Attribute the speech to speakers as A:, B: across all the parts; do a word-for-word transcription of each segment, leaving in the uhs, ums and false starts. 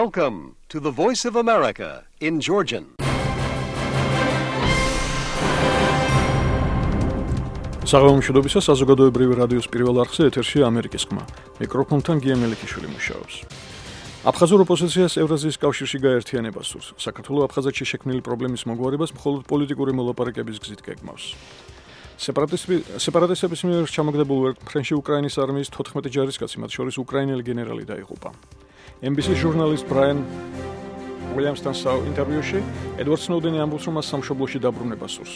A: Welcome to the Voice of America in Georgian.
B: საღამომშვიდობისა საზოგადოებრივი რადიოს პირველ არხზე ეთერშია ამერიკის ხმა. მიკროფონთან გია მელიქიშვილი მუშაობს. აფხაზურ ოპოზიციას ევრაზიის კავშირში გაერთიანება სურს. საქართველოს აფხაზეთში შექმნილი პრობლემის მოგვარებას მხოლოდ პოლიტიკური მოლაპარაკების გზით გეგმავს. სეპარატისტების მიერ ჩამოგდებულ ვერტმფრენში უკრაინის არმიის თოთხმეტი ჯარისკაცი, მათ შორის უკრაინელი გენერალი დაიღუპა. ემ ბი სი ჟურნალისტ ბრაიან უილიამსთან ინტერვიუში ედვარდ სნოუდენი ამბობს, რომ მას სამშობლოში დაბრუნება სურს.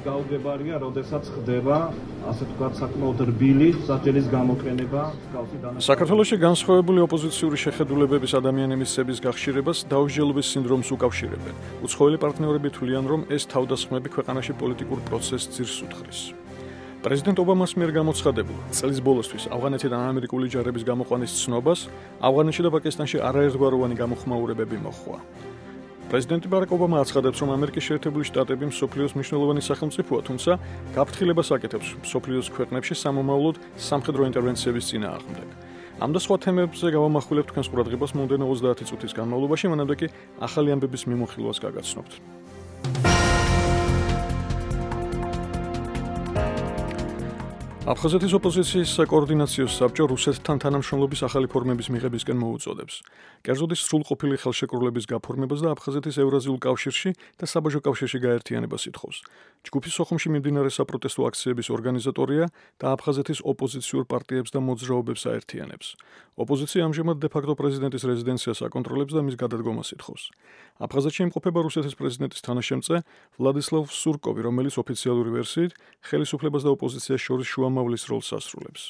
C: გაუგებარია, როდესაც ხდება, ასე ვთქვათ, საკმაოდ რბილი სასჯელის გამოყენება მსგავსი დანაშაულებით.
B: საქართველოში განსხვავებული ოპოზიციური შეხედულებების ადამიანების სების გახშირებას დაუსჯელობის სინდრომს უკავშირებენ. უცხოელი პარტნიორები თვლიან, რომ ეს თავდასხმები ქვეყანაში პოლიტიკურ პროცესს ძირს უთხრის. პრეზიდენტ ობამას მიერ გამოცხადებულ წლის ბოლოსთვის ავღანეთიდან ამერიკული ჯარების გამოყვანის ცნობას ავღანეთში და პაკისტანში არაერთგვაროვანი გამოხმაურებები მოჰყვა. პრეზიდენტი ბარაკ ობამა აცხადებს, რომ ამერიკის შეერთებული შტატები მსოფლიოს მნიშვნელოვანი სახელმწიფოა, თუმცა გაფრთხილებას აკეთებს მსოფლიოს ქვეყნებში სამომავლოდ სამხედრო ინტერვენციების წინააღმდეგ. ამ და სხვა თემებზე გავამახვილებთ თქვენს ყურადღებას მომდევნო ოცდაათი წუთის განმავლობაში, მანამდე კი ახალი ამბების მიმოხილვას გაგაცნობთ. აფხაზეთის ოპოზიციის საკოორდინაციო საბჭო რუსეთთან თანამშრომლობის ახალი ფორმების მიღებისკენ მოუწოდებს. კერძოდ ის სრულყოფილი ხელშეკრულების გაფორმებას და აფხაზეთის ევრაზიულ კავშირში და საბაჟო კავშირში გაერთიანებას ითხოვს. ჯგუფი სოხუმში მიმდინარე საპროტესტო აქციების ორგანიზატორია და აფხაზეთის ოპოზიციურ პარტიებს და მოძრაობებს აერთიანებს. ოპოზიცია ამჟამად დე-ფაქტო პრეზიდენტის რეზიდენციას აკონტროლებს და მის გადადგომას ითხოვს. აფხაზეთში იმყოფება რუსეთის პრეზიდენტის თანაშემწე ვლადისლავ სურკოვი, რომელიც ოფიციალური ვერსიით ხელისუფლებას და ოპოზიციას შორის შუამავლის როლს ასრულებს.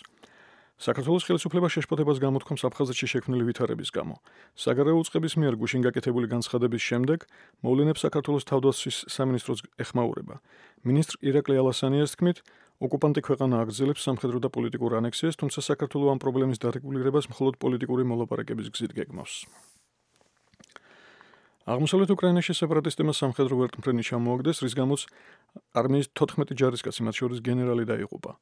B: საქართველოს ხელისუფლება შეშფოთებას გამოთქვამს აფხაზეთში შექმნილი ვითარების გამო. საგარეო უწყების მიერ გუშინ გაკეთებული განცხადების შემდეგ მოვლენებს საქართველოს თავდაცვის სამინისტროს ეხმაურება. მინისტრ ირაკლი ალასანიას თქმით, ოკუპანტი ქვეყანა აგრძელებს სამხედრო და პოლიტიკურ ანექსიას, თუმცა საქართველოს ამ პრობლემის დარეგულირებას მხოლოდ პოლიტიკური მოლაპარაკების გზით გეგმავს. აღმოსავლეთ უკრაინაში სეპარატისტებმა სამხედრო ვერტმფრენი ჩამოაგდეს, რის გამოც არმიის თოთხმეტი ჯარისკაცი, მათ შორის გენერალი დაიღუპა.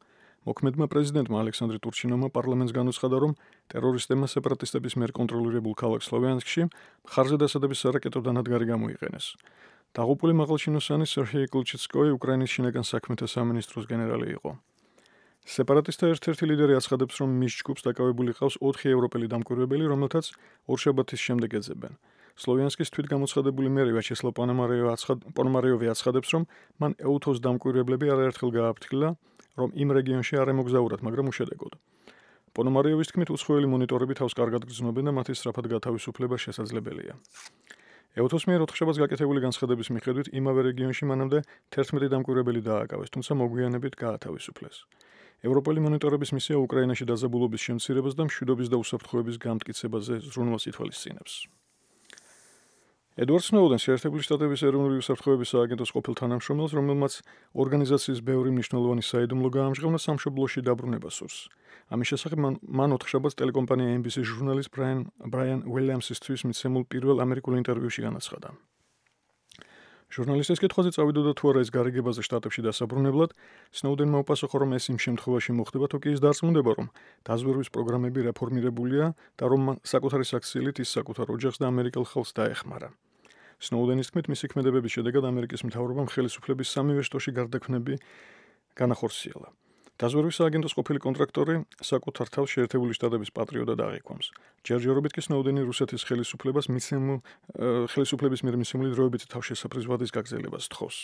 B: მოქმედმა პრეზიდენტმა ალექსანდრე ტურჩინოვმა პარლამენტს განუცხადა, რომ ტერორისტებმა სეპარატისტების მიერ კონტროლირებულ ქალაქ სლოვიანსკში მხარზე დასადების სარაკეტო დანადგარი გამოიყენეს. დაღუპული მაღალჩინოსანი სერგეი კლუჩიცკოი უკრაინის შინაგან საქმეთა სამინისტროს გენერალი იყო. სეპარატისტთა ერთ-ერთი ლიდერი აცხადებს, რომ მის ჯგუფს დაკავებული ყავს ოთხი ევროპელი დამკვირვებელი, რომელთაც ორშაბათის შემდეგ ეძებენ. სლოვიანსკის თვითგამოცხადებული მერი ვიაჩესლავ პონომარიოვი აცხადებს, რომ მან ეუთოს დამკვირვებლები არაერთხელ გააფრთხილა, რომ იმ რეგიონში არ ემოგზაურათ, მაგრამ უშედეგოდ. პონომარიოვის თქმით, უცხოელი მონიტორები თავს კარგად გრძნობენ და მათი სწრაფად გათავისუფლება შესაძლებელია. ეუთოს მიერ ოთხშაბათს გაკეთებული განცხადების მიხედვით, იმავე რეგიონში მანამდე თერთმეტი დამკვირვებელი დააკავეს, თუმცა მოგვიანებით გაათავისუფლეს. ევროპელი მონიტორების მისია უკრაინაში დაძაბულობის შემცირებას და მშვიდობის და უსაფრთხოების გამტკიცებაზე ზრუნვას ითვალისწინებს. ედვარდ სნოუდენს შეერთებული შტატების ეროვნული უსაფრთხოების სააგენტოს ყოფილ თანამშრომელს, რომელმაც ორგანიზაციის ბევრი მნიშვნელოვანი საიდუმლო გაამჟღავნა, სამშობლოში დაბრუნება სურს. ამის შესახებ მან ოთხშაბათს ტელეკომპანია ემ ბი სი ჟურნალისტ ბრაიან უილიამსისთვის მიცემულ პირველ ამერიკულ ინტერვიუში განაცხადა. ჟურნალისტის კითხვაზე წავიდოდა თუ არა ის გარიგებაზე შტატებში დასაბრუნებლად, სნოუდენმა უპასუხა, რომ ეს იმ შემთხვევაში მოხდება, თუ კი ის დარწმუნდება, რომ დაზვერვის პროგრამები რეფორმირებულია და რომ საკუთარი საქციელით ის საკუთარ ოჯახს და ამერიკელ ხალხს დაეხმარა. სნოუდენის თქმით, მისი ქმედებების შედეგად ამერიკის მთავრობამ ხელისუფლების სამივე შტოში გარდაქმნები განახორციელა. დაზვერვის სააგენტოს ყოფილი კონტრაქტორი საკუთარ თავს შეერთებული შტატების პატრიოტად აღიქვამს. ჯერჯერობით კი სნოუდენი რუსეთის ხელისუფლებას მიცემულ ხელისუფლების მიერ მიცემული დროებითი თავშესაფრის ვადის გაგრძელებას თხოვს.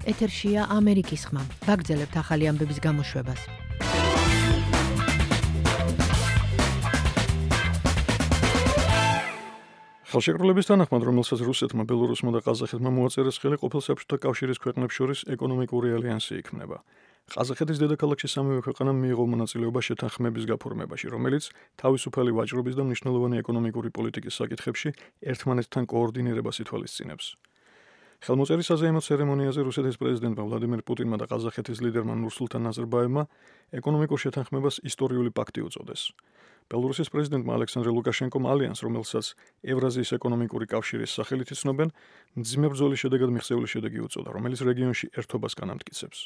D: ეთერშია ამერიკის ხმა. ვაგრძელებთ ახალი ამბების გამოშვებას.
B: ხელშეკრულების თანახმად, რომელსაც რუსეთმა, ბელორუსმა და ყაზახეთმა მოაწერეს ხელი, ყოფილ საბჭოთა კავშირის ქვეყნებს შორის ეკონომიკური ალიანსი იქმნება. ყაზახეთის დედაქალაქში სამივე ქვეყანამ მიიღო მონაწილეობა შეთანხმების გაფორმებაში, რომელიც თავისუფალი ვაჭრობის და მნიშვნელოვანი ეკონომიკური პოლიტიკის საკითხებში ერთმანეთთან კოორდინირებას ითვალისწინებს. ხელმოწერის საზეიმო ცერემონიაზე რუსეთის პრეზიდენტმა ვლადიმერ პუტინმა და ყაზახეთის ლიდერმა ნურსულთან ნაზარბაევმა ეკონომიკურ შეთანხმებას ისტორიული პაქტი უწოდეს. ბელორუსის პრეზიდენტმა ალექსანდრე ლუკაშენკომ ალიანს, რომელსაც ევრაზიის ეკონომიკური კავშირის სახელით იცნობენ, მძიმე ბრძოლის შედეგად მიღწეული შედეგი უწოდა, რომელიც რეგიონში ერთობას განამტკიცებს.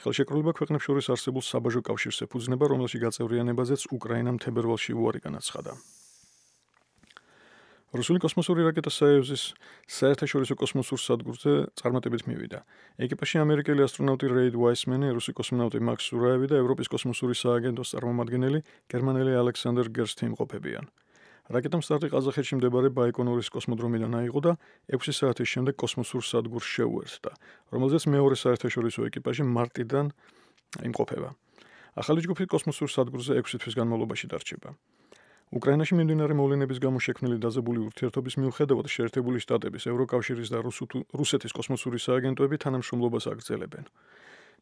B: ხელშეკრულება ქვეყნებს შორის არსებულ საბაჟო კავშირს ეფუძნება, რომელში გაწევრიანებაზეც უკრაინამ თებერვალში უარი განაცხადა. რუსული კოსმოსური რაკეტა საევზის საერთაშორისო კოსმოსურ სადგურზე წარმატებით მივიდა. ეკიპაჟში ამერიკელი ასტრონავტი რეიდ ვაისმენი, რუსი კოსმონავტი მაქს სურაევი და ევროპის კოსმოსური სააგენტოს წარმომადგენელი გერმანელი ალექსანდერ გერსტი იმყოფებიან. რაკეტამ სტარტი ყაზახეთში მდებარე ბაიკონურის კოსმოდრომიდან აიღო და ექვსი საათის შემდეგ კოსმოსურ სადგურს შეუერთდა, რომელზეც მეორე საერთაშორისო ეკიპაჟი მარტიდან იმყოფება. ახალი ჯგუფი კოსმოსურ სადგურზე ექვსი თვის განმავლობაში დარჩება. უკრაინაში მიმდინარე მოვლენების გამო შექმნილი დაძაბული ურთიერთობის მიუხედავად შეერთებული შტატების, ევროკავშირის და რუსეთის კოსმოსური სააგენტოები თანამშრომლობას აგრძელებენ.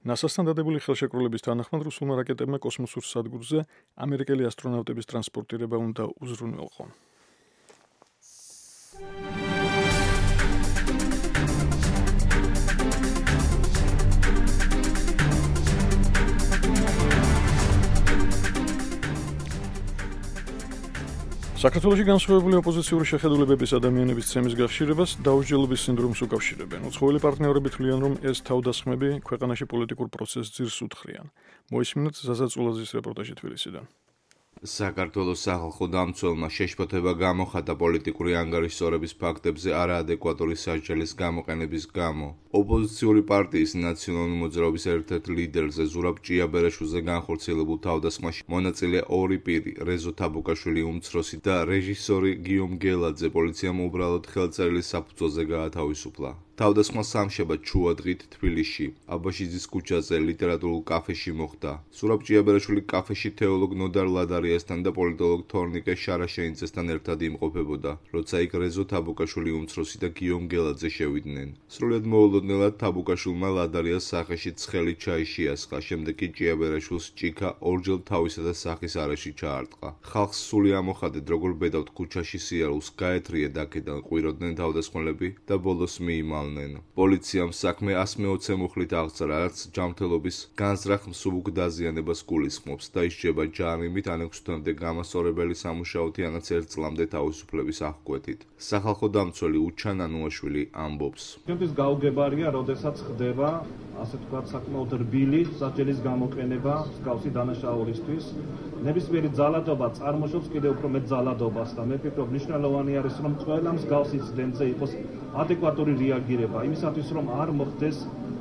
B: ნასასთან დადებული ხელშეკრულების თანახმად რუსულმა რაკეტებმა კოსმოსურ სადგურზე ამერიკელი ასტრონავტების ტრანსპორტირება უნდა უზრუნველყო. საქართველოში განსხვავებული ოპოზიციური შეხედულებების ადამიანების ცემის გახშირებას დაუსჯელობის სინდრომს უკავშირებენ. უცხოელი პარტნიორები თვლიან, რომ ეს თავდასხმები ქვეყანაში პოლიტიკურ პროცესს ძირს უთხრიან. მოისმინოთ ზაზა წულაძის რეპორტაჟი თბილისიდან.
E: საქართველოს სახალხო დამცველმა შეშფოთება გამოხატა პოლიტიკური ანგარიშსწორების ფაქტებზე არაადეკვატური სასჯელის გამოყენების გამო. ოპოზიციური პარტიის ნაციონალური მოძრაობის ერთ-ერთ ლიდერზე ზურაბ ჭიაბერაშვილზე განხორციელებულ თავდასხმაში მონაწილე ორი პირი, რეზო თაბუკაშვილი უმცროსი და რეჟისორი გიომ გელაძე პოლიციამ უბრალოდ ხელწერილის საფუძველზე გაათავისუფლა. თავდასხმა სამშაბათ შუადღით თბილისში, აბაშიძის ქუჩაზე, ლიტერატურულ კაფეში მოხდა. ზურაბ ჭიაბერაშვილი კაფეში თეოლოგ ნოდარ ლადარიასთან და პოლიტოლოგ თორნიკე შარაშენიძესთან ერთად იმყოფებოდა, როცა იქ რეზო თაბუკაშვილი უმცროსი და გიომ გელაძე შევიდნენ. სრულიად მოულოდნელად თაბუკაშვილმა ლადარიას სახეში ცხელი ჩაი შეასხა, შემდეგ კი ჭიაბერაშვილს ჭიქა ორჯერ თავისა და სახის არეში ჩაარტყა. ხალხს სული ამოხადეთ, როგორ ბედავთ ქუჩაში სიარულს, გაეთრიეთ აქედან, ყვიროდნენ თავდასხმელები და ბოლოს მიიმალნენ. პოლიციამ საქმე ასი მეოცე მუხლით აღწერა, რაც ჯანმრთელობის განზრახ მსუბუქ დაზიანებას გულისხმობს და ისჯება ჯარიმით ან ექვსი თვემდე გამასწორებელი სამუშაოთი ანაც ერთ წლამდე თავისუფლების აღკვეთით. სახალხო დამცველი უჩან ანუაშვილი ამბობს.
C: ჩემთვის გაუგებარია, როდესაც ხდება ასე თქვა საკმაოდ რბილი სასჯელის გამოყენება მსგავსი დანაშაულისთვის. ნებისმიერი ძალადობა წარმოშობს კიდევ უფრო მეტ ძალადობას და მე ვფიქრობ, მნიშვნელოვანი არის, რომ ყველა მსგავსი ინციდენტზე იყოს ადეკვატური რეაგირება, იმისათვის რომ არ მოხდეს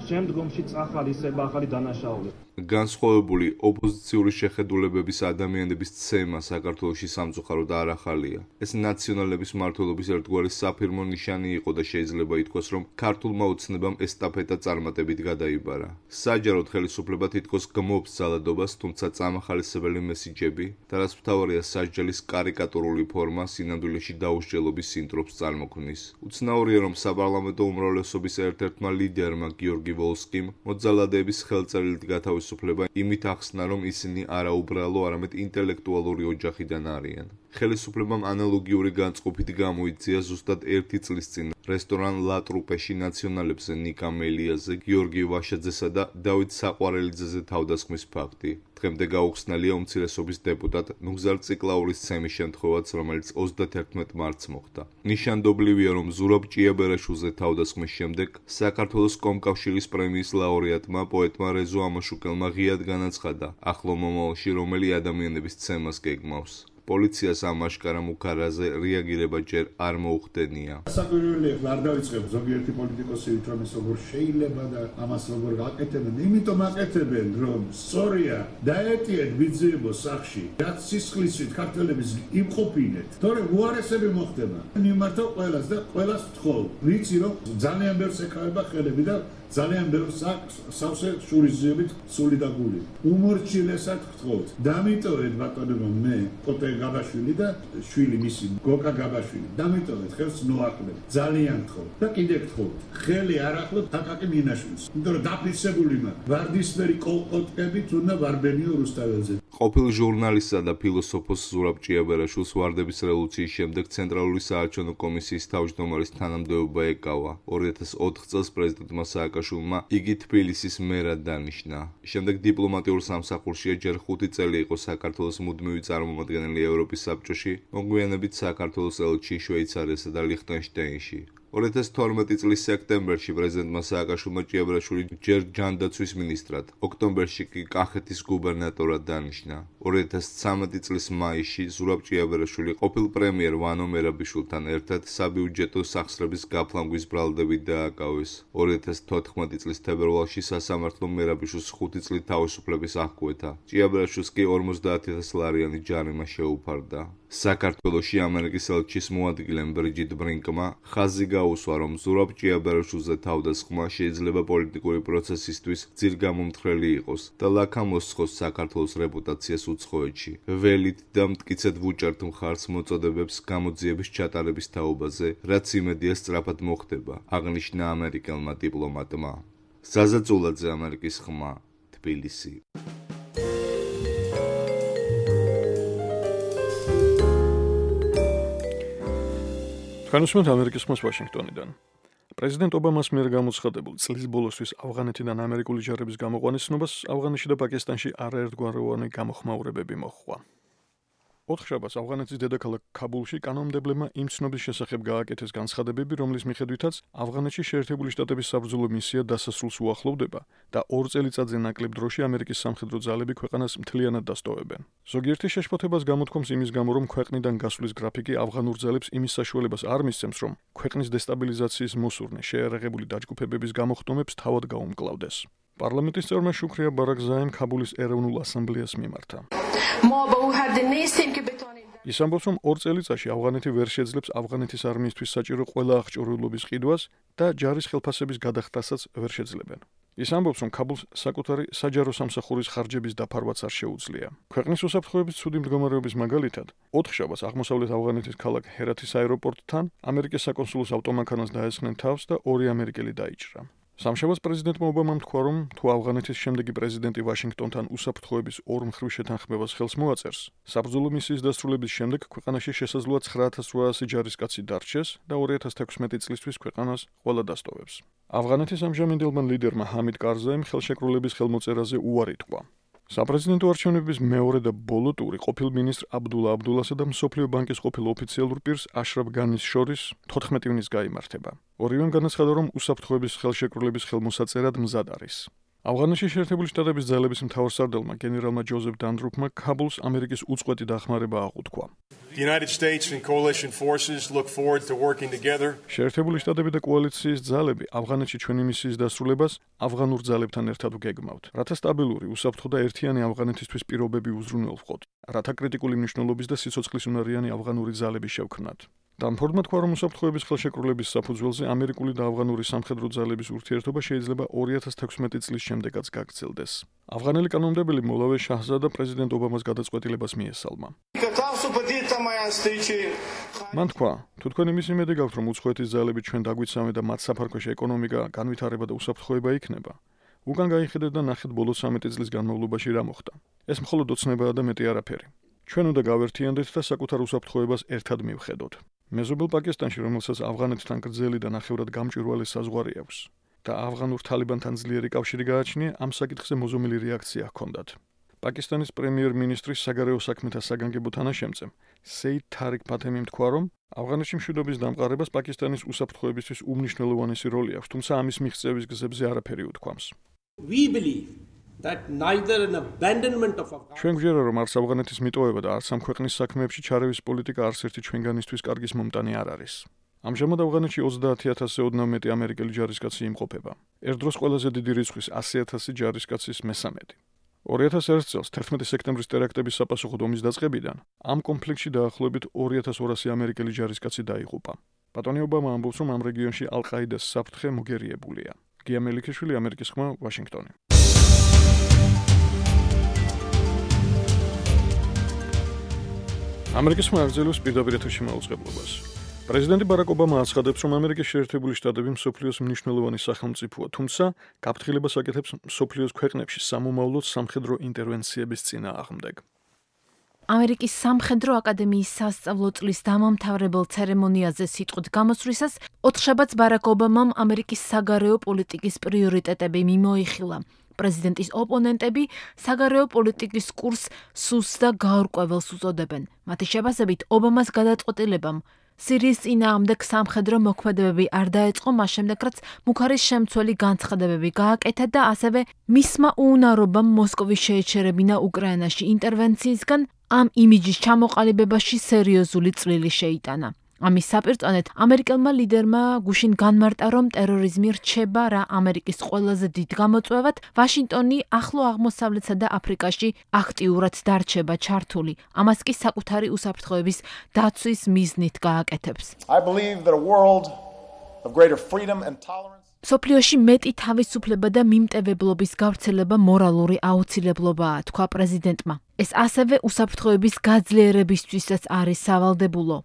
C: შემდგომში წახალისება ახალი დანაშაული.
E: განსხვავებული ოპოზიციური შეხედულებების ადამიანების ცემა საქართველოში სამწუხაროდ არ ახალია. ეს ნაციონალების მმართველობის ერთგვარი საფირმო ნიშანი იყო და შეიძლება ითქვას, რომ ქართულმა ოცნებამ ესტაფეტა წარმატებით გადაიბარა. საჯაროდ ხელისუფლება თითქოს გმობს ძალადობას, თუმცა წამახალისებელი მესიჯები და რაც მთავარია სასჯელის კარიკატურული ფორმა სინამდვილეში დაუსჯელობის სინდრომს წარმოქმნის. უცნაურია, რომ საპარლამენტო უმრავლესობის ერთ-ერთმა ლიდერმა გიორგი ვოლსკიმ მოძალადეების ხელწერილით გათავისუფლება სუფლება იმით ახსნა, რომ ისინი არა უბრალო, არამედ ინტელექტუალური ოჯახიდან არიან. ხელისუფლებამ ანალოგიური განწყობით გამოიწია ზუსტად ერთი წლის წინ რესტორან ლა ტრუპეში ნაციონალებზე ნიკა მელიაზე, გიორგი ვაშაძესა და დავით საყვარელიძეზე თავდასხმის ფაქტი. დღემდე გაუხსნელია უმცირესობის დეპუტატ ნუგზარ ციკლაურის ცემის შემთხვევაც, რომელიც ოცდაათი მარტს მოხდა. ნიშანდობლივია, რომ ზურაბ ჭიაბერაშვილზე თავდასხმის შემდეგ საქართველოს კომკავშირის პრემიის ლაურეატმა პოეტმა რეზო ამაშუკელმა ღიად განაცხადა, ახლო მომავალში რომელი ადამიანების ცემას გეგმავს. პოლიციას ამ აშკარა მუქარაზე რეაგირება ჯერ არ მოუხდენია.
F: საკვირველი არ დავიწყებ ზოგიერთი პოლიტიკოსი ვითომ ეს როგორ შეიძლება და ამას როგორ აკეთებენ, იმიტომ აკეთებენ, რომ სწორია დაეტიეთ ბიძიებო სახში, რაც სისხლისით ქართველების იმყოფინეთ, თორემ უარესები მოხდება. მიმართავ ყველას და ყველას ვთხოვ, ვიცი რომ ძალიან ბევრს ეკავება ხელები და ძალიან ბევრს აქვს სავსე შურისძიებით სული და გული. უმორჩილესად ვთხოვთ, დამიტოვეთ ბატონებო მე კოტე გაბაშვილი და შვილი მისი გოკა გაბაშვილი. დამიტოვეთ ხელს ნოაკლებ. ძალიან ვთხოვთ და კიდე ვთხოვთ, ხელი არ ახლობთ აკაკი მინაშვილს. იმიტომ რომ დაფიქსებული მაქვს ვარდისფერი კოლყოტკებით უნდა ვარბენიო რუსთაველზე.
E: ყოფილ ჟურნალისტსა და ფილოსოფოს ზურაბ ჭიაბერაშვილს ვარდების რევოლუციის შემდეგ ცენტრალური საარჩევნო კომისიის თავმჯდომარის თანამდებობა ეკავა. ორი ათას ოთხ წელს პრეზიდენტმა სააკაშვილმა იგი თბილისის მერად დანიშნა. შემდეგ დიპლომატიურ სამსახურშია, ჯერ ხუთი წელი იყო საქართველოს მუდმივი წარმომადგენელი ევროპის საბჭოში, მოგვიანებით საქართველოს ელჩი შვეიცარიასა და ლიხტენშტეინში. ორი ათას თორმეტი წლის სექტემბერში პრეზიდენტმა სააკაშვილმა ჭიაბერაშვილი ჯერ ჯანდაცვის მინისტრად, ოქტომბერში კი კახეთის გუბერნატორად დანიშნა. ორი ათას ცხრამეტი წლის მაისში ზურაბ ჭიაბერაშვილი ყოფილ პრემიერ ვანო მერაბიშვილთან ერთად საბიუჯეტო სახსრების გაფლანგვის ბრალდებით დააკავეს. ორი ათას თოთხმეტი წლის თებერვალში სასამართლომ მერაბიშვილს ხუთი წლით თავისუფლების აღკვეთა. ჭიაბერაშვილს კი ორმოცდაათი ათას ლარიანი ჯარიმა შეუფარდა. საქართველოში ამერიკის ელჩის მოადგილემ ბრიჯიტ ბრინკმა ხაზი გაუსვა, რომ ზურაბ ჭიაბერაშვილზე თავდასხმა შეიძლება პოლიტიკური პროცესისთვის ძირგამომთხრელი იყოს და ლაქამოსხოს საქართველოს რეპუტაციას უცხოეთში. ველით და მტკიცედ ვუჭერთ მხარს მოწოდებებს გამოძიების ჩატარების თაობაზე, რაც იმედია სწრაფად მოხდება, აღნიშნა ამერიკელმა დიპლომატმა. ზაზაწულაძე, ამერიკის ხმა, თბილისი.
B: განსვენთ ამერიკის ხმას ვაშინგტონიდან. პრეზიდენტ ობამას მიერ გამოცხადებულ წლის ბოლოსთვის ავღანეთიდან ამერიკული ჯარების გამოყვანის ცნობას ავღანეთში და პაკისტანში არაერთგვაროვანი გამოხმაურებები მოჰყვა. ოთხშაბათს ავღანეთის დედაქალაქ ქაბულში კანონმდებლებმა იმ ცნობის შესახებ გააკეთეს განცხადებები, რომლის მიხედვითაც ავღანეთში შეერთებული შტატების საბრძოლო მისია დასასრულს უახლოვდება და ორ წელიწადზე ნაკლებ დროში ამერიკის სამხედრო ძალები ქვეყანას მთლიანად დასტოვებენ. ზოგიერთი შეშფოთებას გამოთქვამს იმის გამო, რომ ქვეყნიდან გასვლის გრაფიკი ავღანურ ძალებს იმის საშუალებას არ მისცემს, რომ ქვეყნის დესტაბილიზაციის მოსურნე შეერაღებული დაჯგუფებების გამოხდომებს თავად გაუმკლავდეს. პარლამენტის წევრმა შუქრია ბარაგზაემ ქაბულის ეროვნულ ასამბლეას მიმართა. ის ამბობს, რომ ორ წელიწადში ავღანეთი ვერ შეძლებს ავღანეთის არმიისთვის საჭირო ყველა აღჭურვილობის ყიდვას და ჯარის ხელფასების გადახდასაც ვერ შეძლებენ. ის ამბობს, რომ ქაბულს საკუთარი საჯარო სამსახურის ხარჯების დაფარვაც არ შეუძლია. ქვეყნის უსაფრთხოების ცუდი მდგომარეობის მაგალითად, ოთხშაბათს აღმოსავლეთ ავღანეთის ქალაქ ჰერათის აეროპორტთან ამერიკის საკონსულოს ავტომანქანას დაესხნენ თავს და ორი ამერიკელი დაიჭრა. სამშაბათს პრეზიდენტმა ობამამ თქვა, რომ თუ ავღანეთის შემდეგი პრეზიდენტი ვაშინგტონთან უსაფრთხოების ორ მხრივ შეთანხმებას ხელს მოაწერს, საბრძოლო მისიის დასრულების შემდეგ ქვეყანაში შესაძლოა ცხრა ათას რვაასი ჯარისკაცი დარჩეს და ორი ათას თექვსმეტი წლისთვის ქვეყანას ყველა დასტოვებს. ავღანეთის ამჟამინდელმა ლიდერმა ჰამიდ კარზაიმ ხელშეკრულების ხელმოწერაზე უარი თქვა. საპრეზიდენტო არჩევნების მეორე და ბოლო ტური ყოფილ მინისტრ აბდულა აბდულასა და მსოფლიო ბანკის ყოფილ ოფიციალურ პირს აშრაფ განის შორის თოთხმეტი ივნის გაიმართება. ორივემ განაცხადა, რომ უსაფრთხოების ხელშეკრულების ხელმოსაწერად მზად არის. ავღანეთში შეერთებული შტატების ძალების მთავარსარდალმა გენერალმა ჯოზეფ დანდრუფმა ქაბულს ამერიკის უწყვეტი დახმარება აღუთქვა.
G: The United States and coalition forces look forward to working together.
B: შეერთებული შტატები და კოალიციის ძალები ავღანეთში ჩვენი მისიის დასრულებას ავღანურ ძალებთან ერთად ვგეგმავთ, რათა სტაბილური, უსაფრთხო და ერთიანი ავღანეთისთვის პირობები უზრუნველყოთ, რათა კრიტიკული მნიშვნელობის და სიცოცხლისუნარიანი ავღანური ძალები შევქმნათ. დამფორდმა თქვა, რომ უსაფრთხოების ხელშეკრულების საფუძველზე ამერიკული და ავღანური სამხედრო ძალების ურთიერთობა შეიძლება ორი ათას თექვსმეტი წლის შემდეგაც გაგრძელდეს. ავღანელი კანონმდებელი მოლავე შაჰზადა პრეზიდენტ ობამას გადაწყვეტილებას მიესალმა. მან თქვა, თუ თქვენ იმის იმედი გაქვთ, რომ უცხოეთის ძალები ჩვენ დაგვიცავენ და მათ საფარქვეში ეკონომიკა, განვითარება და უსაფრთხოება იქნება, უკან გაიხედეთ და ნახეთ ბოლო ცხრამეტი წლის განმავლობაში რა მოხდა. ეს მხოლოდ ოცნებაა და მეტი არაფერი. ჩვენ უნდა გავერთიანდეთ და საკუთარ უსაფრთხოებას ერთად მივხედოთ. მეზობელ პაკისტანში, რომელსაც ავღანეთთან გრძელი და ნახევრად გამჭვირვალე საზღვარი აქვს და ავღანურ თალიბანთან ძლიერი კავშირი გააჩნია, ამ საკითხზე მოზომილი რეაქცია ჰქონდათ. პაკისტანის პრემიერ-მინისტრის საგარეო საქმეთა საგანგებო თანაშემწემ სეიდ თარიკ ფათემიმ თქვა, რომ ავღანეთში მშვიდობის დამყარებას პაკისტანის უსაფრთხოებისთვის უმნიშვნელოვანესი როლი აქვს, თუმცა ამის მიღწევის გზებზე არაფერი უთქვამს.
H: We believe that neither an abandonment of
B: ჩვენ გვჯერა, რომ არც ავღანეთის მიტოვება და არც ამ ქვეყნის საქმეებში ჩარევის პოლიტიკა არც ერთი ჩვენგანისთვის კარგის მომტანი არ არის. ამჟამად ავღანეთში ოცდაათი ათასზე ოდნავ მეტი ამერიკელი ჯარისკაცი იმყოფება. ერთ დროს ყველაზე დიდი რიცხვის ასი ათასი ჯარისკაცის მესამედი. ორი ათას ერთ წელს თერთმეტი სექტემბრის ტერაქტების საპასუხოდ ომის დაწყებიდან ამ კონფლიქტში დაახლოებით ორი ათას ორასი ამერიკელი ჯარისკაცი დაიღუპა. ბატონი ობამა ამბობს, რომ ამ რეგიონში ალ-ყაიდას საფრთხე მოგერიებულია. გია მელიქიშვილი, ამერიკის ხმა, ვაშინგტონი. ამერიკის ხმა აგრძელებს პირდაპირ ეთერში მაუწყებლობას. პრეზიდენტი ბარაკ ობამა აცხადებს, რომ ამერიკის შეერთებული შტატები მსოფლიოს მნიშვნელოვანი სახელმწიფოა, თუმცა გაფრთხილებას აკეთებს მსოფლიოს ქვეყნებში სამომავლოდ სამხედრო ინტერვენციების წინააღმდეგ.
I: ამერიკის სამხედრო აკადემიის სასწავლო წლის დამამთავრებელ ცერემონიაზე სიტყვით გამოსვლისას ოთხშაბათს ბარაკ ობამამ ამერიკის საგარეო პოლიტიკის პრიორიტეტები მიმოიხილა. პრეზიდენტის ოპონენტები საგარეო პოლიტიკის კურსს სუსტ და გაურკვეველს უწოდებენ. მათი შეფასებით ობამას გადაწყვეტილებამ სირიის წინააღმდეგ სამხედრო მოქმედებები არ დაეწყო მას შემდეგ, რაც მუქარის შემცველი განცხადებები გააკეთა და ასევე მისმა უუნარობამ მოსკოვის შეეჩერებინა უკრაინაში ინტერვენციისგან ამ იმიჯის ჩამოყალიბებაში სერიოზული წვლილი შეიტანა. ამის საპირწონედ ამერიკელმა ლიდერმა გუშინ განმარტა, რომ ტერორიზმი რჩება რა ამერიკის ყველაზე დიდ გამოწვევად, ვაშინგტონი ახლო აღმოსავლეთსა და აფრიკაში აქტიურად დარჩება ჩართული. ამას კი საკუთარი უსაფრთხოების დაცვის მიზნით გააკეთებს.
J: I believe that a world of greater freedom and tolerance
I: სოფლიოში მეტი თავისუფლება და მიმტევებლობის გავრცელება მორალური აუცილებლობაა, თქვა პრეზიდენტმა. ეს ასევე უსაფრთხოების გაძლიერებისთვისაც არის სავალდებულო.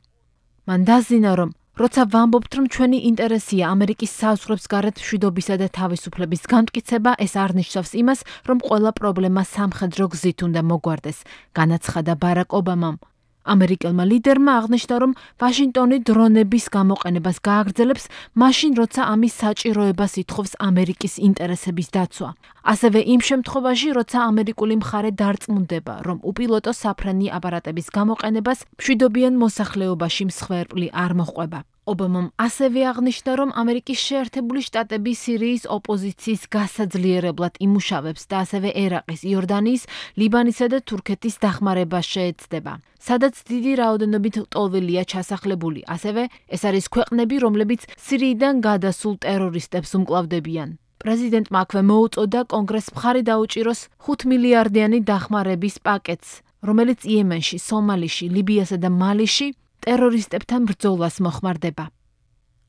I: მან დაზინა, რომ როცა ვამბობთ, რომ ჩვენი ინტერესია ამერიკის საზღვრებს გარეთ მშვიდობისა და თავისუფლების განმტკიცება, ეს არ ნიშნავს იმას, რომ ყველა პრობლემა სამხედრო გზით უნდა მოგვარდეს, განაცხადა ბარაკ ობამამ. ამერიკელმა ლიდერმა აღნიშნა, რომ ვაშინგტონი დრონების გამოყენებას გააგრძელებს, მაშინ როცა ამის საჭიროებას ითხოვს ამერიკის ინტერესების დაცვა. ასევე იმ შემთხვევაში, როცა ამერიკული მხარე დარწმუნდება, რომ უპილოტო საფრენი აპარატების გამოყენებას მშვიდობიან მოსახლეობაში მსხვერპლი არ მოჰყვება. ობამამ ასევე აღნიშნა, რომ ამერიკის შეერთებული შტატები სირიის ოპოზიციის გასაძლიერებლად იმუშავებს და ასევე ერაყის, იორდანიის, ლიბანისა და თურქეთის დახმარებას შეეცდება, სადაც დიდი რაოდენობით ლტოლვილია ჩასახლებული. ასევე ეს არის ქვეყნები, რომლებიც სირიიდან გადასულ ტერორისტებს უმკლავდებიან. პრეზიდენტმა აქვე მოუწოდა კონგრესს მხარი დაუჭიროს ხუთ მილიარდიანი დახმარების პაკეტს, რომელიც იემენში, სომალიში, ლიბიასა და მალიში ტერორისტებთან ბრძოლას მოხმარდება.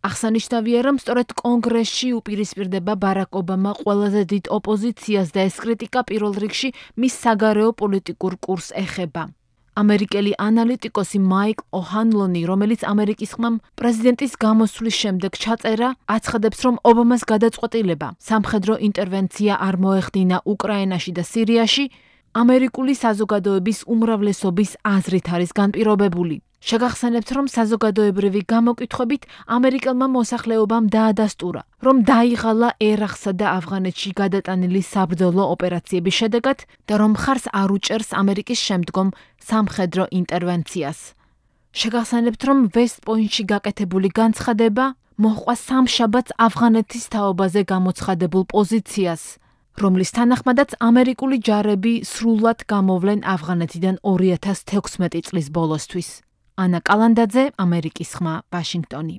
I: აღსანიშნავია, რომ სწორედ კონგრესში უპირისპირდება ბარაკ ობამა ყველაზე დიდ ოპოზიციას და ეს კრიტიკა პირველ რიგში მის საგარეო პოლიტიკურ კურსს ეხება. ამერიკელი ანალიტიკოსი მაიკ ოჰანლონი, რომელიც ამერიკის ხმამ პრეზიდენტის გამოსვლის შემდეგ ჩაწერა, აცხადებს, რომ ობამას გადაწყვეტილება სამხედრო ინტერვენცია არ მოეხდინა უკრაინაში და სირიაში, ამერიკული საზოგადოების უმრავლესობის აზრით არის განპირობებული. შეგახსენებთ, რომ საზოგადოებრივი გამოკითხვებით ამერიკელმა მოსახლეობამ დაადასტურა, რომ დაიღალა ერაყსა და ავღანეთში გადატანილი საბრძოლო ოპერაციების შედეგად და რომ მხარს არ უჭერს ამერიკის შემდგომ სამხედრო ინტერვენციას. შეგახსენებთ, რომ ვესტ-პოინტში გაკეთებული განცხადება მოჰყვა სამშაბათს ავღანეთის თაობაზე გამოცხადებულ პოზიციას, რომლის თანახმადაც ამერიკული ჯარები სრულად გამოვლენ ავღანეთიდან ორი ათას თექვსმეტი წლის ბოლოსთვის. ანა კალანდაძე, ამერიკის ხმა, ვაშინგტონი.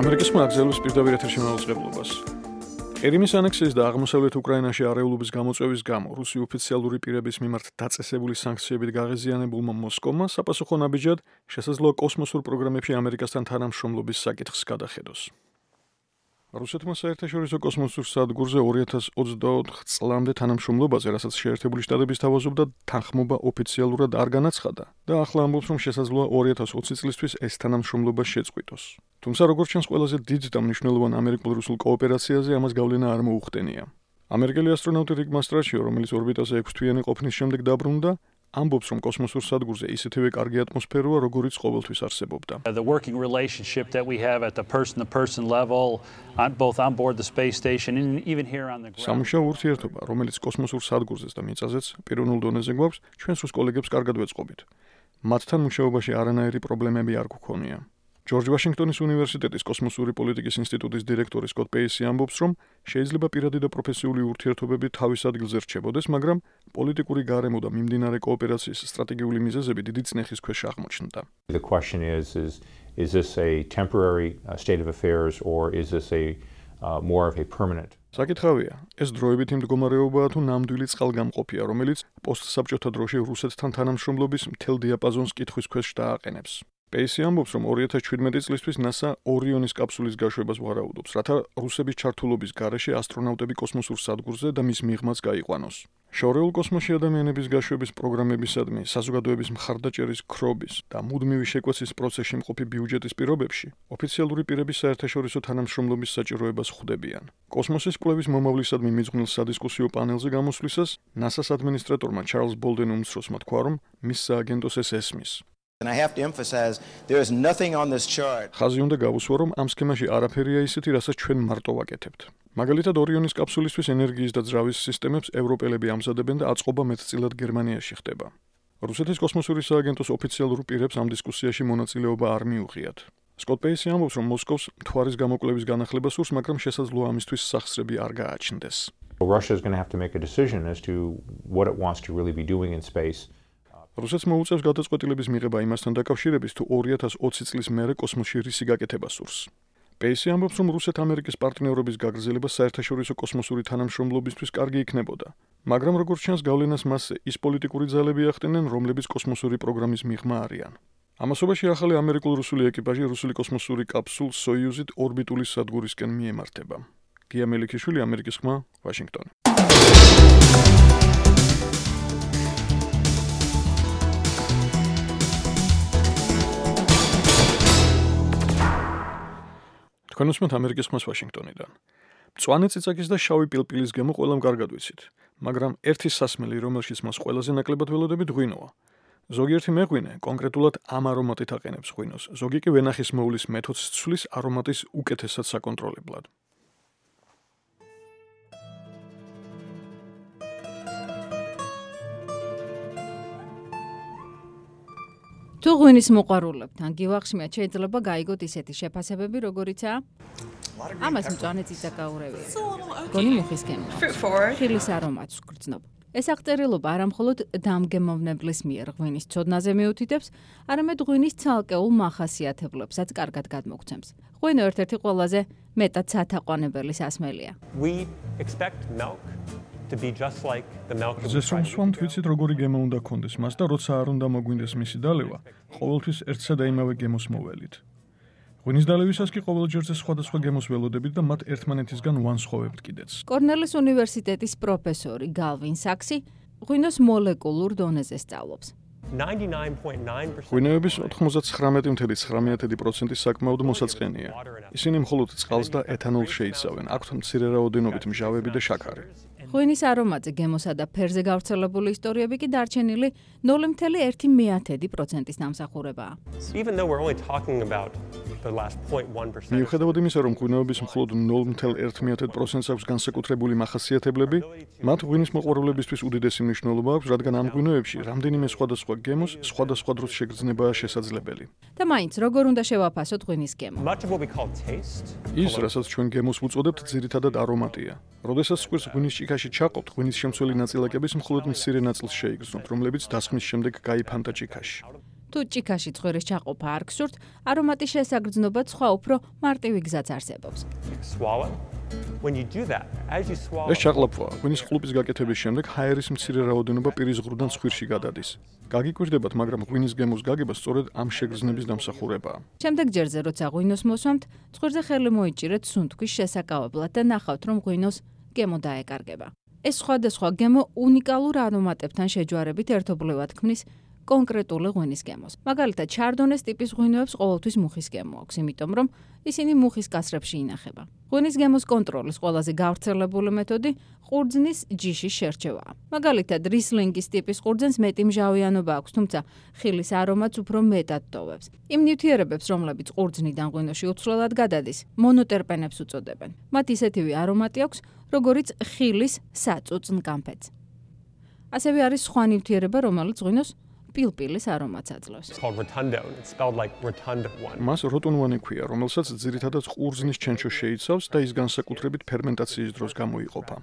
B: ამერიკის ხმა აგზელოს პირდაპირ ეთერში მაუწყებლობას. ყირიმის ანექსიის და აღმოსავლეთ უკრაინაში არეულობის გამოწვევის გამო რუსი ოფიციალური პირების მიმართ დაწესებული სანქციებით გაღიზიანებულმა მოსკოვმა საპასუხო ნაბიჯად შესაძლოა კოსმოსურ პროგრამებში ამერიკასთან თანამშრომლობის საკითხს გადახედოს. რუსეთმა საერთაშორისო კოსმოსურ სადგურზე ორი ათას ოცდაოთხ წლამდე თანამშრომლობაზე, რასაც შეერთებული შტატების თავაზობდა, თანხმობა ოფიციალურად არ განაცხადა და ახლა ამბობს, რომ შესაძლოა ორი ათას ოცი წლისთვის ეს თანამშრომლობა შეწყვიტოს. თუმცა როგორც ჩანს, ყველაზე დიდ და მნიშვნელოვან ამერიკულ-რუსულ კოოპერაციაზე ამას გავლენა არ მოუხდენია. ამერიკელი ასტრონავტი რიკ მასტრაჩიო, რომელიც ორბიტაზე ექვსთვიანი ყოფნის შემდეგ დაბრუნდა, ამბობს, რომ კოსმოსურ სადგურზე ისეთივე კარგი ატმოსფეროა, როგორიც ყოველთვის არსებობდა.
K: The working relationship that we have at the person-to-person level, on both on board the space station and even here on the ground.
B: სამუშაო ურთიერთობა, რომელიც კოსმოსურ სადგურზეც და მიწაზეც პიროვნულ დონეზე გვაქვს, ჩვენს რუს კოლეგებს კარგად ვეწყობით. მათთან მუშაობაში არანაირი პრობლემები არ გვქონია. ჯორჯ ვაშინგტონის უნივერსიტეტის კოსმოსური პოლიტიკის ინსტიტუტის დირექტორი სკოტ პეისი ამბობს, რომ შეიძლება პირადი და პროფესიული ურთიერთობები თავის ადგილზე რჩებოდეს, მაგრამ პოლიტიკური გარემო და მიმდინარე კოოპერაციის სტრატეგიული მიზეზები დიდი წნეხის ქვეშ აღმოჩნდა.
L: The question is is is this a temporary uh, state of affairs or is this a uh, more of a permanent?
B: საკითხავია, ეს დროებითი მდგომარეობაა თუ ნამდვილი წყალგამყოფია, რომელიც პოსტსაბჭოთა დროში რუსეთთან თანამშრომლობის მთელ დიაპაზონს კითხვის ქვეშ დააყენებს. პეისი ამბობს, რომ ორი ათას შვიდმეტი წლისთვის NASA ორიონის კაფსულის გაშვებას ვარაუდობს, რათა რუსების ჩართულობის გარეშე ასტრონავტები კოსმოსურ სადგურზე და მის მიღმაც გაიყვანოს. შორეულ კოსმოსში ადამიანების გაშვების პროგრამებისადმი საზოგადოების მხარდაჭერის ქრობის და მუდმივი შეკვეცის პროცესში მყოფი ბიუჯეტის პირობებში ოფიციალური პირები საერთაშორისო თანამშრომლობის საჭიროებას ხვდებიან. კოსმოსის კვლევის მომავლისადმი მიძღვნილ სადისკუსიო პანელზე გამოსვლისას NASA-ს ადმინისტრატორმა ჩარლზ ბოლდენ უმცროსმა თქვა, რომ მის სააგენტოს ეს ესმის.
M: And I have to emphasize there is nothing on this chart.
B: ხაზი უნდა გავუსვა, რომ ამ სქემაში არაფერია ისეთი, რასაც ჩვენ მარტო ვაკეთებთ. მაგალითად, ორიონის კაფსულისთვის ენერგიის და ძრავის სისტემებს ევროპელები ამზადებენ და აწყობა მეტწილად გერმანიაში ხდება. რუსეთის კოსმოსური სააგენტოს ოფიციალურ პირებს ამ დისკუსიაში მონაწილეობა არ მიუღიათ. სკოტ პეისი ამბობს, რომ მოსკოვს მთვარის გამოკვლევის განახლება სურს, მაგრამ შესაძლოა ამისთვის სახსრები არ გააჩნდეს.
L: Russia is going to have to make a decision as to what it wants to really be doing in space.
B: რუსეთს მოუწევს გადაწყვეტილების მიღება იმასთან დაკავშირებით, თუ ორი ათას ოცი წლის მერე კოსმოსში რისი გაკეთება სურს. პეისი ამბობს, რომ რუსეთ-ამერიკის პარტნიორობის გაგრძელება საერთაშორისო კოსმოსური თანამშრომლობისთვის კარგი იქნებოდა, მაგრამ როგორც ჩანს, გავლენას მასზე ის პოლიტიკური ძალები ახდენენ, რომლებიც კოსმოსური პროგრამის მიღმა არიან. ამასობაში ახალი ამერიკულ-რუსული ეკიპაჟი რუსული კოსმოსური კაფსულ სოიუზით ორბიტული სადგურისკენ მიემართება. გია მელიქიშვილი, ამერიკის ხმა, ვაშინგტონი. თქვენ უსმენთ ამერიკის ხმას ვაშინგტონიდან. მწვანე წიწაკის და შავი პილპილის გემო ყველამ კარგად ვიცით, მაგრამ ერთი სასმელი, რომელშიც მას ყველაზე ნაკლებად ველოდებით, ღვინოა. ზოგიერთი მეღვინე კონკრეტულად ამ არომატით აყენებს ღვინოს, ზოგი კი ვენახის მოვლის მეთოდს ცვლის არომატის უკეთესად საკონტროლებლად.
N: თუ ღვინის მოყვარულებთან გივახშმიათ, შეიძლება გაიგოთ ისეთი შეფასებები, როგორიცაა ამას მწვანე წიწაკაურევია. გონი მუხის გემო. ხილის არომატს ვგრძნობ. ეს აღწერილობა არამხოლოდ დამგემოვნებლის მიერ ღვინის ცოდნაზე მიუთითებს, არამედ ღვინის ცალკეულ მახასიათებლებსაც კარგად გადმოგცემს. ღვინო ერთ-ერთი ყველაზე მეტად სათაყვანებელი სასმელია.
O: We expect milk to be just like the milk of
B: the cow. Ზესრომს ვიცით, როგორი გემო უნდა გქონდეს მას და როცა არ უნდა მოგვინდეს მისი დალევა, ყოველთვის ერთსა და იმავე გემოს მოველით. ღვინის დალევისას კი ყოველ ჯერზე სხვადასხვა გემოს ველოდებით და მათ ერთმანეთისგან ვანსხვავებთ კიდეც.
N: კორნელის უნივერსიტეტის პროფესორი გალვინ საქსი ღვინოს მოლეკულურ დონეზე სწავლობს.
B: ღვინოების ოთხმოცდათხრამეტი წუთი ცხრამეტი პროცენტი საკმაოდ მოსაწყენია. ისინი მხოლოდ წყალს და ეთანოლს შეიცავენ, აქვთ მცირე რაოდენობით მჟავები და შაქარი.
N: ღვინის არომატზე გემოსა და ფერზე გავრცელებული ისტორიები კი დარჩენილი ნული მცდელობა ერთი მეათედი პროცენტის დამსახურებაა.
B: მიუხედავად იმისა, რომ ღვინოების მხოლოდ ნული მცდელობა ერთი მეათედი პროცენტს აქვს განსაკუთრებული მახასიათებლები, მათ ღვინის მოყვარულებისთვის უდიდესი მნიშვნელობა აქვს, რადგან ამ ღვინოებში რამდენიმე სხვადასხვა გემოს სხვადასხვა დროს შეგრძნებაა შესაძლებელი.
N: და მაინც როგორ უნდა შევაფასოთ ღვინის გემო?
B: ის, რასაც ჩვენ გემოს ვუწოდებთ, ძირითადად არომატია. როდესაც სკვირს ღვინის ჭიქაში ჩაყობთ, ღვინის შემცველი ნაწილაკების მხოლოდ მცირე ნაწილს შეიგრძნობთ, რომლებიც დასხმის შემდეგ გაიფანტა ჭიქაში.
N: თუ ჭიქაში ცხვირის ჩაყოფა არ გსურთ, არომატის შესაგრძნობად სხვა უფრო მარტივი გზაც არსებობს.
B: ეს ჩაყლაპვა ღვინის ყლუპის გაკეთების შემდეგ ჰაერის მცირე რაოდენობა პირის ღრუდან ცხვირში გადადის. გაგიკვირდებათ, მაგრამ ღვინის გემოს გაგება სწორედ ამ შეგრძნების დამსახურებაა.
N: შემდეგ ჯერზე, როცა ღვინოს მოსვამთ, ცხვირზე ხელი მოიჭირეთ სუნთქვის შესაკავებლად და ნახავთ, რომ ღვინოს გემო დაეკარგება. ეს სხვადასხვა გემო უნიკალურ არომატებთან შეჯვარებით ერთობლივად ქმნის კონკრეტული ღვინის გემოს. მაგალითად, შარდონეს ტიპის ღვინოებს ყოველთვის მუხის გემო აქვს, იმიტომ რომ ისინი მუხის კასრებში ინახება. ღვინის გემოს კონტროლის ყველაზე გავრცელებული მეთოდი ყურძნის ჯიშის შერჩევაა. მაგალითად, რისლინგის ტიპის ყურძენს მეტი მჟავიანობა აქვს, თუმცა ხილის არომატს უფრო მეტად ტოვებს. იმ ნივთიერებებს, რომლებიც ყურძნიდან ღვინოში უცვლელად გადადის, მონოტერპენებს უწოდებენ. მათ ისეთივე არომატი აქვს, როგორიც ხილის საწუწნ კამფეთს. ასევე არის სხვა ნივთიერება, რომელიც ღვინოს პილპილის არომატს აძლევს.
B: მას როტუნვანი ქვია, რომელსაც ძირითადად ყურძნის ჩენჩო შეიცავს და ის განსაკუთრებით ფერმენტაციის დროს გამოიყოფა.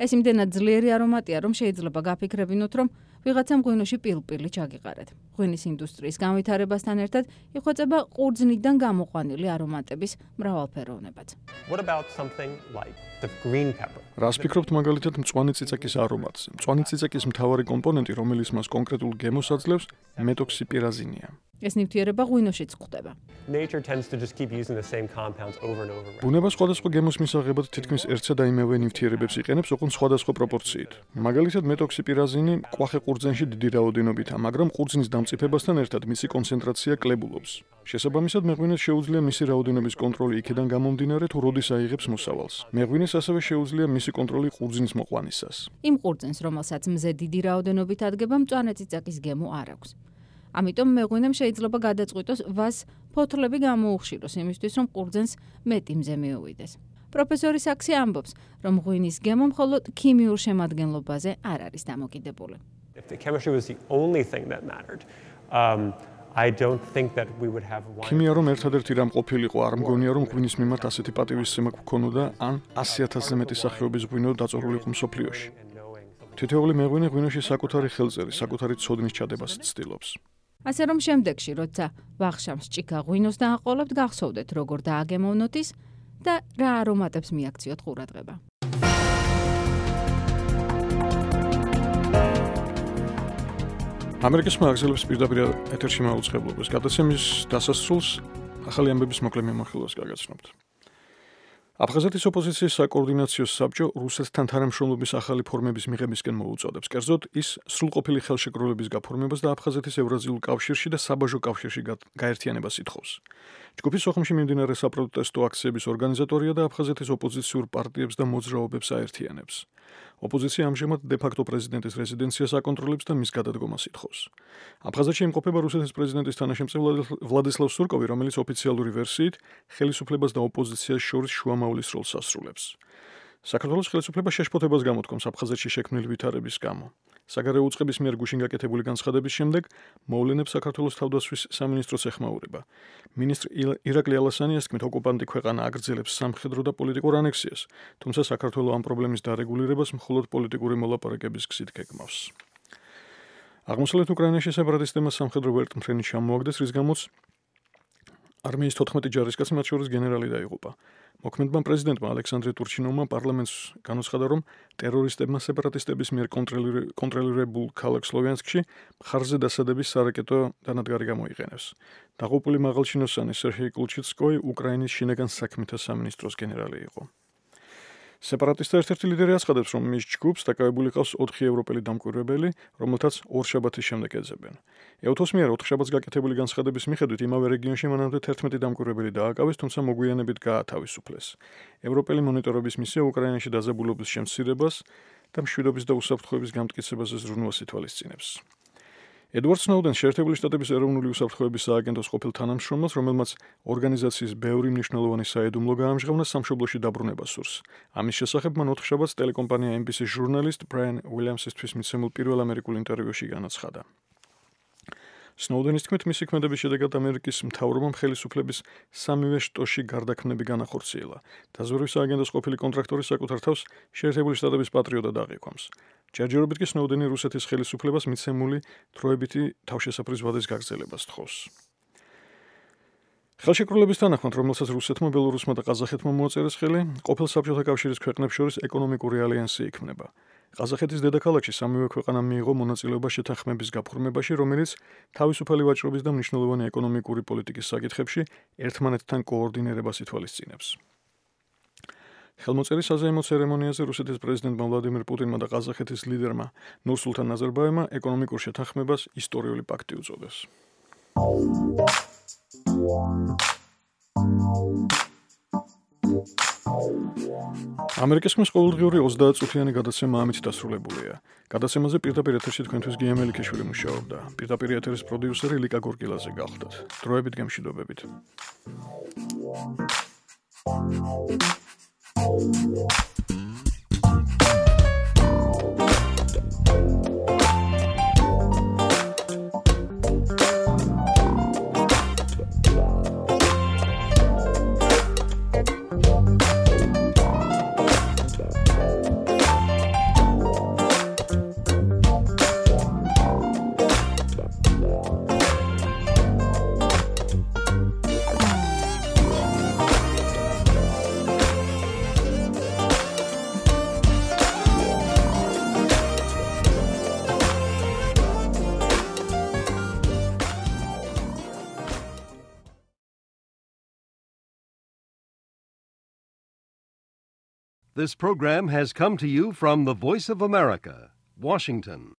N: ეს იმდენად ძლიერი არომატია, რომ შეიძლება გაფიქრებინოთ, რომ ვიღაცამ ღვინოში პილპილი ჩაგიყარეთ. ღვინის ინდუსტრიის განვითარებასთან ერთად იხვეწება ყურძნიდან გამოყვანილი არომატების მრავალფეროვნებაც.
O: What about something like the green pepper?
B: რას ფიქრობთ მაგალითად მწვანე წიწაკის არომატზე? მწვანე წიწაკის მთავარი კომპონენტი, რომელიც მას კონკრეტულ გემოს აძლევს, მეტოქსიპირაზინია.
N: ეს ნივთიერება ღვინოშიც გვხვდება.
O: Nature tends to just keep using the same compounds over and over.
B: ბუნება სხვადასხვა გემოს მისაღებად თითქმის ერთსა და იმავე ნივთიერებებს იყენებს, ოღონდ სხვადასხვა პროპორციით. მაგალითად, მეტოქსიპირაზინი კვახე ყურძენში დიდი რაოდენობითაა, მაგრამ ყურძნის დამწიფებასთან ერთად მისი კონცენტრაცია კლებულობს. შესაბამისად, მეღვინეს შეუძლია მისი რაოდენობის კონტროლი იქიდან გამომდინარე, თუ როდის აიღებს მოსავალს. მეღვინეს ასევე შეუძლია მისი კონტროლი ყურძნის მოყვანისას.
N: იმ ყურძენს, რომელსაც მზე დიდი რაოდენობით ადგება, მწვანე წიწაკის გემო არ აქვს. ამიტომ მეღვინემ შეიძლება გადაწყვიტოს ვას ფოთლები გამოუხშიროს იმისთვის, რომ ყურძენს მეტი მზე მიუვიდეს. პროფესორი საქსი ამბობს, რომ ღვინის გემო მხოლოდ ქიმიურ შემადგენლობაზე არ არის დამოკიდებული.
O: If the chemistry was the only thing that mattered, um, I don't think that we would have wine.
B: ქიმია რომ ერთადერთი რამ ყოფილიყო, არ მგონია რომ ღვინის მიმართ ასეთი პატივისცემა გქონოდა, ან ასი ათასზე მეტი სახეობის ღვინო დაწორულიყო მსოფლიოში. თითოეული მეღვინე ღვინოში საკუთარი ხელწერი, საკუთარი ცოდნის ჩადებას ცდილობს.
N: ასე რომ შემდეგში, როცა ვახშამს ჭიქა ღვინოს დააყოლებთ, გახსოვდეთ, როგორ დააგემოვნოთ ის და რა არომატებს მიაქციოთ ყურადღება.
B: ამერიკის მაგზელებს პირდაპირ ეთერში მაუწყებლობას. გადაცემის დასასრულს ახალი ამბების მოკლე მიმოხილვას გაგაცნობთ. აფხაზეთის ოპოზიციის საკოორდინაციო საბჭო რუსეთთან თანამშრომლობის ახალი ფორმების მიღებისკენ მოუწოდებს. კერძოდ, ის სრულყოფილი ხელშეკრულების გაფორმებას და აფხაზეთის ევრაზიულ კავშირში და საბაჟო კავშირში გაერთიანებას ითხოვს. ჯგუფი სოხუმში მიმდინარე საპროტესტო აქციების ორგანიზატორია და აფხაზეთის ოპოზიციურ პარტიებს და მოძრაობებს აერთიანებს. ოპოზიცია ამჟამად დე-ფაქტო პრეზიდენტის რეზიდენციას აკონტროლებს და მის გადადგომას ითხოვს. აფხაზეთში იმყოფება რუსეთის პრეზიდენტის თანაშემწე ვლადისლავ სურკოვი, რომელიც ოფიციალური ვერსიით ხელისუფლებას და ოპოზიციას შორის შუამავლის როლს ასრულებს. საქართველოს ხელისუფლება შეშფოთებას გამოთქვამს აფხაზეთში შექმნილი ვითარების გამო. საგარეო უწყების მიერ გუშინ გაკეთებული განცხადების შემდეგ მოვლენებს საქართველოს თავდაცვის სამინისტროს ეხმაურება. მინისტრ ირაკლი ალასანიას თქმით, ოკუპანტი ქვეყანა აგრძელებს სამხედრო და პოლიტიკურ ანექსიას, თუმცა საქართველო ამ პრობლემის დარეგულირებას მხოლოდ პოლიტიკური მოლაპარაკების გზით გეგმავს. აღმოსავლეთ უკრაინაში სეპარატისტებმა სამხედრო ვერტმფრენი ჩამოაგდეს, რის გამოც არმიის თოთხმეტი ჯარისკაცი, მათ შორის გენერალი დაიღუპა. მოქმედმა პრეზიდენტმა ალექსანდრე ტურჩინოვმა პარლამენტს განუცხადა, რომ ტერორისტებმა სეპარატისტების მიერ კონტროლირებულ ქალაქ სლოვიანსკში მხარზე დასადების სარაკეტო დანადგარი გამოიყენებს. დაღუპული მაღალჩინოსანი სერგეი კულჩიცკოი უკრაინის შინაგან საქმეთა სამინისტროს გენერალი იყო. სეპარატისტთა ერთ-ერთი ლიდერი აცხადებს, რომ მის ჯგუფს დაკავებული ყავს ოთხი ევროპელი დამკვირვებელი, რომელთაც ორშაბათის შემდეგ ეძებენ. ეუთოს მიერ ოთხშაბათს გაკეთებული განცხადების მიხედვით იმავე რეგიონში მანამდე თერთმეტი დამკვირვებელი დააკავეს, თუმცა მოგვიანებით გაათავისუფლეს. ევროპელი მონიტორობის მისია უკრაინაში დაძაბულობის შემცირებას და მშვიდობის და უსაფრთხოების გამტკიცებაზე ზრუნვას ითვალისწინებს. ედვარდ სნოუდენს შეერთებული შტატების ეროვნული უსაფრთხოების სააგენტოს ყოფილ თანამშრომელს, რომელმაც ორგანიზაციის ბევრი მნიშვნელოვანი საიდუმლო გაამჟღავნა, სამშობლოში დაბრუნება სურს. ამის შესახებ მან ოთხშაბათს ტელეკომპანია ემ ბი სი-ის ჟურნალისტ ბრაიან უილიამსისთვის მიცემულ პირველ ამერიკულ ინტერვიუში განაცხადა. სნოუდენის თქმით, მისი ქმედების შედეგად ამერიკის მთავრობამ ხელისუფლების სამივე შტოში გარდაქმნები განახორციელა. დაზვერვის სააგენტოს ყოფილი კონტრაქტორი საკუთარ თავს შეერთებული შტატების პატრიოტად აღიქვამს. ჯერჯერობით კი სნოუდენი რუსეთის ხელისუფლებას მიცემული დროებითი თავშესაფრის ვადის გაგრძელებას თხოვს. ხელშეკრულების თანახმად, რომელსაც რუსეთმა, ბელორუსმა და ყაზახეთმა მოაწერეს ხელი, ყოფილ საბჭოთა კავშირის ქვეყნებს შორის ეკონომიკური ალიანსი იქმნება. ყაზახეთის დედაქალაქში სამივე ქვეყანამ მიიღო მონაწილეობა შეთანხმების გაფორმებაში, რომელიც თავისუფალი ვაჭრობის და მნიშვნელოვანი ეკონომიკური პოლიტიკის საკითხებში ერთმანეთთან კოორდინირებას ითვალისწინებს. ხელმოწერის საზეიმო ცერემონიაზე რუსეთის პრეზიდენტმა ვლადიმირ პუტინმა და ყაზახეთის ლიდერმა ნურსულთან ნაზარბაევმა ეკონომიკურ შეთანხმებას ისტორიული პაქტი უწოდეს. ამერიკის ხმის ყოველდღიური ოცდაათწუთიანი გადაცემა ამით დასრულებულია. გადაცემაზე პირდაპირ ეთერში თქვენთვის გია მელიქიშვილი მუშაობდა. პირდაპირ ეთერის პროდიუსერი ლიკა გორგილაძე გახლდათ. დროებით გემშვიდობებით.
A: This program has come to you from the Voice of America, Washington.